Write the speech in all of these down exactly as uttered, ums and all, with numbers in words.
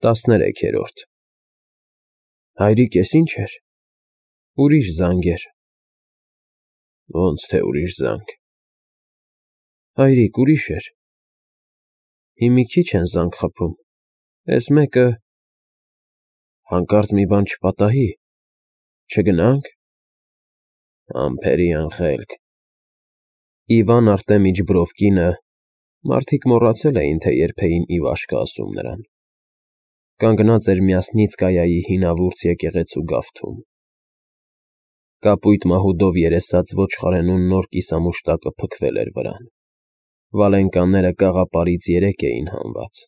տասներեքերորդ Հայրիկ, էս ի՞նչ էր։ Ուրիշ զանգ էր։ Ոնց թե ուրիշ զանգ։ Հայրիկ, ուրիշ էր։ Հիմա մի քիչ են զանգ խփում։ Էս մեկը… Հանկարծ մի բան չպատահի։ Չգնա՞նք։ Ամփերի անխելք։ Իվան Արտեմիչ Բրովկինը, մարդիկ մոռացել էին, թե երբ էին Իվաշկը ասում նրան, կանգնած էր Մյասնիցկայայի հինավուրց եկեղեցու գավթում։ Կապույտ մահուդով երեսած ոչխարենու նոր կիսամուշտակը փքվել էր վրան։ Վալենկանները կաղապարից երեք էին հանված։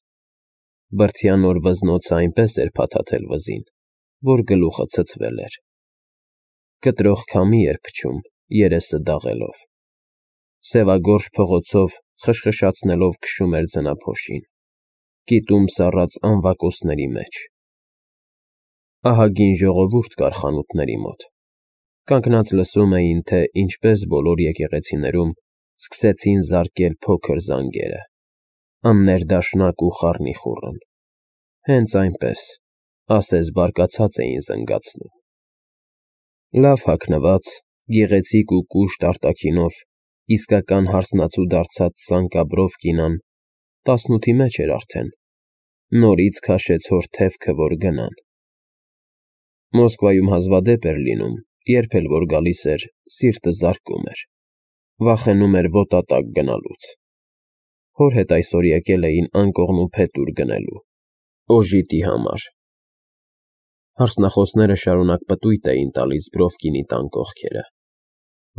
Բրդյա նոր վզնոցը այնպես էր փաթաթել վզին, որ գլուխը ցցվել էր։ Կտրող քամի էր փչում, երեսը դաղելով։ Սևագորշ փողոցով խշխշացնելով քշում էր ձնափոշին, կիտում սառած անվակոսների մեջ։ Ահագին ժողովուրդ կար խանութների մոտ։ Կանգնած լսում էին, թե ինչպես բոլոր եկեղեցիներում սկսեցին զարկել փոքր զանգերը, աններդաշնակ ու խառնիխուռն, հենց այնպես, ասես բարկացած էին զնգացնում։ Լավ հագնված, գեղեցիկ ու կուշտ արտաքինով, իսկական հարսնացու դարձած Սանկա Բրովկինան տասնութի մեջ էր արդեն, նորից քաշեց հոր թևքը, որ գնան։ Մոսկվայում հազվադեպ էր լինում, երբ էլ որ գալիս էր, սիրտը զարկում էր, վախենում էր ոտատակ գնալուց։ Հոր հետ այսօր եկել էին անկողնու փետուր գնելու, օժիտի համար։ Հարսնախոսները շարունակ պտույտ էին տալիս Բրովկինի տան կողքերը,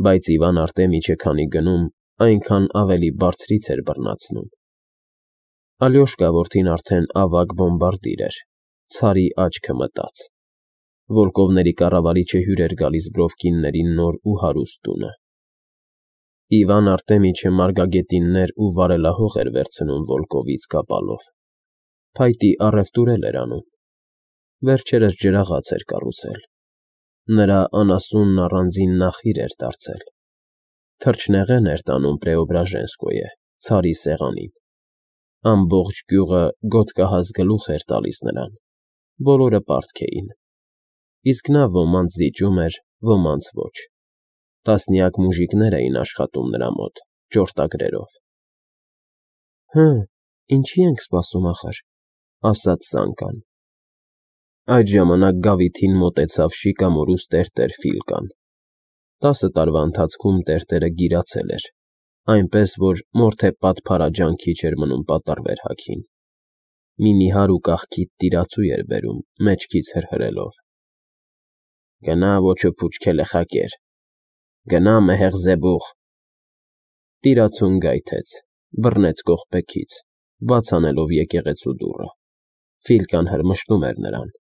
բայց Իվան Արտեմիչը քանի գնում, այնքան ավելի բարձրից էր բռնացնում։ Ալյոշկա որդին արդեն ավագ բոմբարդիր էր, ցարի աչքը մտած։ Վոլկովների կառավարիչը հյուր էր գալիս Բրովկինների նոր ու հարուստ տունը։ Իվան Արտեմիչը մարգագետիններ ու վարելահող էր վերցնում Վոլկովից կապալով, փայտի առևտուրել էր անում։ Վերջերս ջրաղաց էր կառուցել։ Նրա անասունն առանձին նախիր էր դարձել։ Թրջնեղեն էր տանում Պրեոբրաժենսկոյե, ցարի սեղանին։ Ամբողջ գյուղը գոտկահաս գլուխ էր տալիս նրան, բոլորը պարտք էին։ Իսկ նա ոմանց զիջում էր, ոմանց ոչ։ Տասնյակ մուժիկներ էին աշխատում նրա մոտ, ճորտագրերով։ Հը, ինչի ենք սպասում ախր, ասաց Սանկան։ Այդ ժամանակ գավիթին մոտեցավ շիկամորուս տերտեր Ֆիլկան։ Տասը տարվա ընթացքում տերտերը գիրացել էր, այնպես որ մորթեպատ փարաջանքի չէր մնում պատառվեր հագին։ Մի նիհար ու կախքիթ տիրացու էր բերում, մեջքից հրհրելով։ Գնա ոչը փուչքելը խակեր, գնա մեհեղ զեբուղ։ Տիրացուն գայթեց, բռնեց կողպեքից, բաց անելով եկեղեցու դուռը։ Ֆիլկան հրմշտում էր նրան։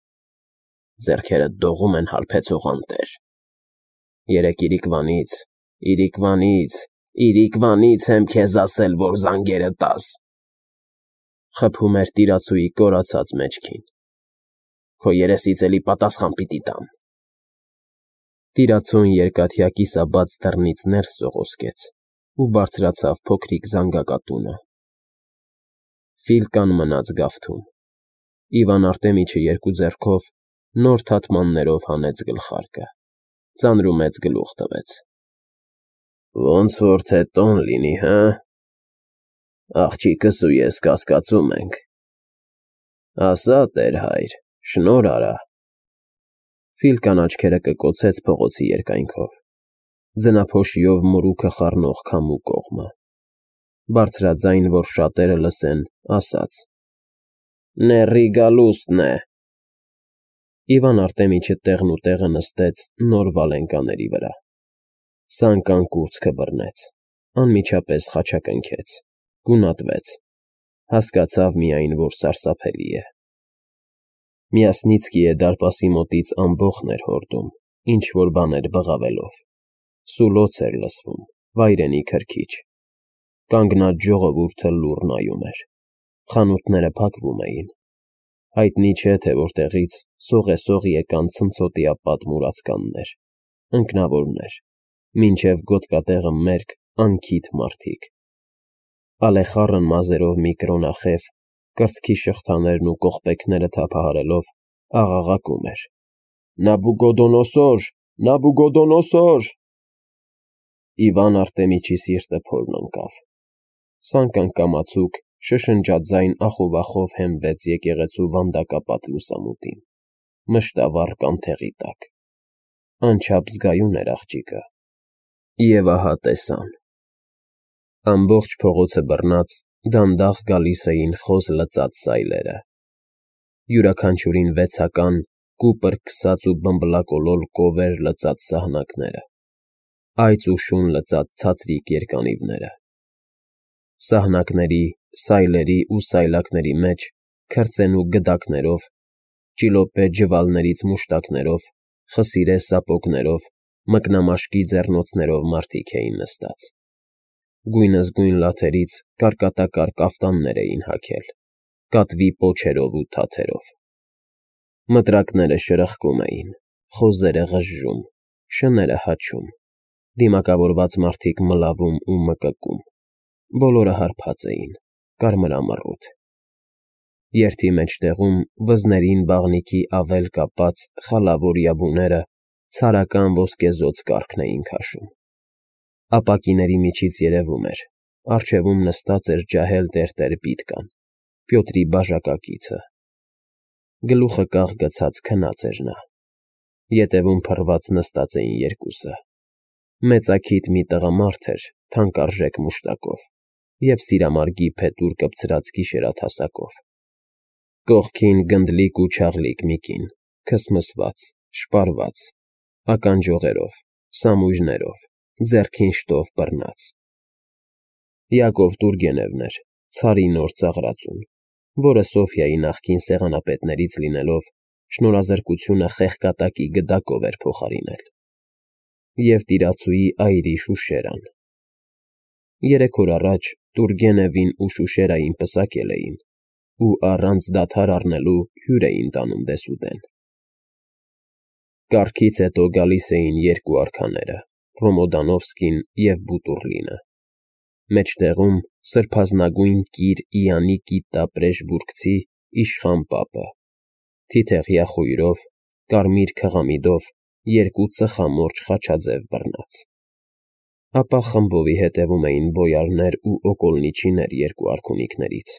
Ձեռքերդ դողում են հարբեցող անտեր։ Երեկ իրիկվանից, իրիկվանից, իրիկվանից եմ քեզ ասել, որ զանգերը տաս։ Խփում էր տիրացուի կորացած մեջքին։ Քո երեսից էլի պատասխան պիտի տամ։ Տիրացուն երկաթյա կիսաբաց դռնից ներս սողոսկեց ու բարձրացավ փոքրիկ զանգակատունը։ Ֆիլկան մնաց գավթում։ Իվան Արտեմիչը երկու ձեռքով նոր թաթմաններով հանեց գլխարկը, ծանրումեծ գլուխ տվեց։ Ոնց որ թե տոն լինի, հը։ Աղջիկս ու ես կասկածում ենք։ Ասա, տեր հայր, շնոր արա։ Ֆիլկան աչքերը կկոցեց փողոցի երկայնքով, ձնափոշիով մորուքը խառնող քամու կողմը։ Բարձրաձայն, որ շատերը լսեն, ասաց. Նեռի գալուստն է։ Իվան Արտեմիչը տեղն ու տեղը նստեց նոր վալենկաների վրա։ Սանկան կուրծքը բռնեց, անմիջապես խաչակնքեց, գունատվեց, հասկացավ միայն, որ սարսափելի է։ Մյասնիցկիե դարպասի մոտից ամբոխն էր հորդում, ինչ-որ բաներ բղավելով։ Սուլոց էր լսվում, վայրենի քրքիջ։ Կանգնած ժողովուրդը լուռ նայում էր։ Խանութները փակվում էին։ Հայտնի չէ, թե որտեղից սողեսող եկան ցնցոտիապատ մուրացկաններ, ընկնավորներ, մինչև գոտկատեղը մերկ, անքիթ մարդիկ։ Ալեխառն մազերով մի կրոնախև Կրծքի շղթաներն ու կողպեքները թափահարելով աղաղակում էր. Նաբուգոդոնոսոր, Նաբուգոդոնոսոր… Իվան Արտեմիչի սիրտը փորն ընկավ, սանկանկամացուկ շշնջաձայն ախովախով հենվեց եկեղեցու վանդակապատ լուսամուտին, մշտավառ կանթեղի տակ, անչափ զգայուն էր աղջիկը, և ահա տեսան… Ամբողջ փողոցը բռնած դանդաղ գալիս էին խոզ լծած սայլերը, յուրաքանչյուրին վեցական, կուպր քսած ու բմբլակոլոլ կովեր լծած սահնակները, այծ ու շուն լծած ցածրիկ երկանիվները, սահնակների, սայլերի ու սայլակների մեջ քրծեն ու գդակներով, ճիլոպե ջվալներից մուշտակներով, խսիրե սապոգներով, մկնամաշկի ձեռնոցներով մարդիկ էին նստած, գույնզգույն լաթերից կարկատակար կաֆտաններ էին հագել, կատվի պոչերով ու թաթերով, մտրակները շրխկում էին, խոզերը ղժժում, շները հաչում, դիմակավորված մարդիկ մլավում ու մկկում, բոլորը հարբած էին, կարմրամռութ, երթի մեջտեղում վզներին բաղնիքի ավել կապած խալավոր յաբուները ցարական ոսկեզօծ կառքն էին քաշում, ապակիների միջից երևում էր, առջևում նստած էր ջահել տերտեր Պիտկան, Պյոտրի բաժակակիցը, գլուխը կաղ գցած քնած էր նա, ետևում փռված նստած էին երկուսը, մեծաքիթ մի տղամարդ էր թանկարժեք մուշտակով և սիրամարգի փետուր կպցրած գիշերաթասակով, կողքին գնդլիկ ու չաղլիկ մի կին, քսմսված, շպարված, ականջողերով, սամույրներով, ձեռքին շտով բռնած, Յակով Տուրգենևն էր, ցարի նոր ծաղրածուն, որը Սոֆյայի նախկին սեղանապետներից լինելով շնորհազրկությունը խեղկատակի գդակով էր փոխարինել, և տիրացուի այրի Շուշերան, երեք օր առաջ Տուրգենևին ու Շուշերային պսակել էին ու առանց դադար առնելու հյուր էին տանում դեսուդեն, կառքից հետո գալիս էին երկու արքաները, Ռոմոդանովսկին և Բուտուռլինը, մեջտեղում սրբազնագույն կիր Իանի կիտտա պրեժբուրգցի իշխան պապը, թիթեղյա խույրով, կարմիր քղամիդով երկու ծխամորճ խաչաձև բռնած, ապա խմբովի հետևում էին բոյարներ ու օկոլնիչիներ երկու արքունիքներից,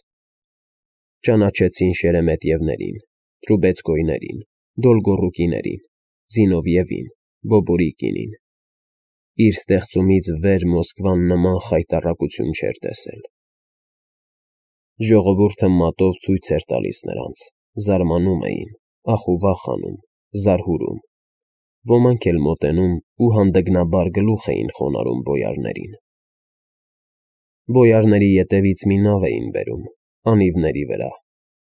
ճանաչեցին Շերեմետյևներին, Տրուբեցկոյներին, Դոլգոռուկիներին, Զինովիևին, Բոբուրիկինին, իր ստեղծումից վեր Մոսկվան նման խայտառակություն չէր տեսել, ժողովուրդը մատով ցույց էր տալիս նրանց, զարմանում էին, ախուվախ անում, զարհուրում, ոմանք էլ մոտենում ու հանդգնաբար գլուխ էին խոնարհում բոյարներին, բոյարների ետևից մի նավ էին բերում, անիվների վրա,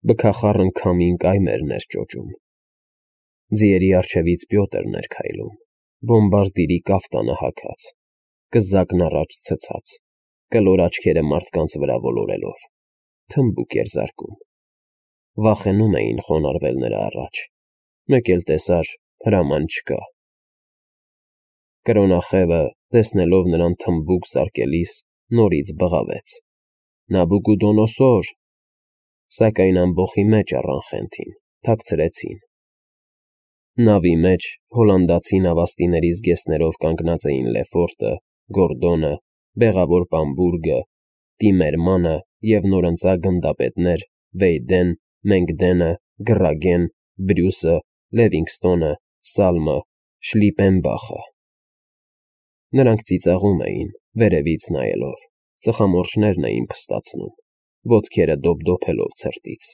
բքախառն քամին կայմերն էր ճոճում, ձիերի առջևից Պյոտրն էր քայլում, բոմբարդիրի կաֆտանը հագած, կզակն առաջ ցցած, կլոր աչքերը մարդկանց վրա ոլորելով, թմբուկ էր զարկում, վախենում էին խոնարհվել նրա առաջ, մեկ էլ տեսար հրաման չկա, կրոնախևը, տեսնելով նրան թմբուկ զարկելիս, նորից բղավեց. Նաբուգուդոնոսոր, սակայն ամբոխի մեջ առան խենթին, թաքցրեցին, նավի մեջ հոլանդացի նավաստիների զգեստներով կանգնած էին Լեֆորտը, Գորդոնը, Բեղավոր Պամբուրգը, Տիմերմանը և նորընծա գնդապետներ Վեյդեն, Մենգդենը, Գրագեն, Բրյուսը, Լևինգստոնը, Սալմը, Շլիպենբախը, նրանք ծիծաղում էին, վերևից նայելով, ծխամորճներն էին փստացնում, ոտքերը դոփդոփելով ցրտից,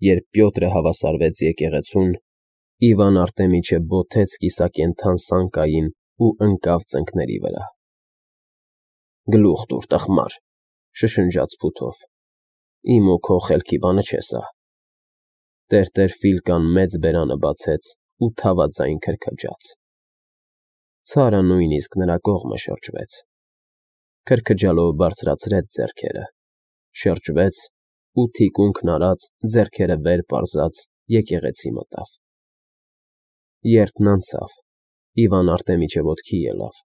երբ Պյոտրը հավասարվեց եկեղեցուն, Իվան Արտեմիչը բոթեց կիսակենդան սանկային ու ընկավ ծնկների վրա, գլուխ տուր, տխմար, շշնջաց փութով, իմ ու քո խելքի բանը չէ սա, տերտեր Ֆիլկան մեծ բերանը բացեց ու թավաձայն քրքջաց, ցարը նույնիսկ նրա կողմը շրջվեց, քրքջալով բարձրացրեց ձեռքերը, շրջվեց ու թիկունքն արած, ձեռքերը վեր պարզած եկեղեցի մտավ, երթն անցավ, Իվան Արտեմիչը ոտքի ելավ,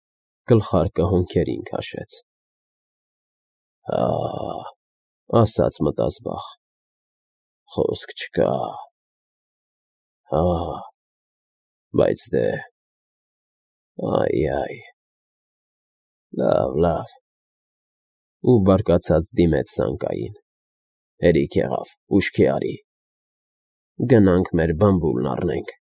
գլխարկը հոնքերին քաշեց, հա՜, ասաց մտազբաղ, խոսք չկա, հա, բայց դե, այ֊այ, լավ, լավ, ու բարկացած դիմեց սանկային, հերիք եղավ, ուշքի արի, գնանք մեր բամբուլն առնենք։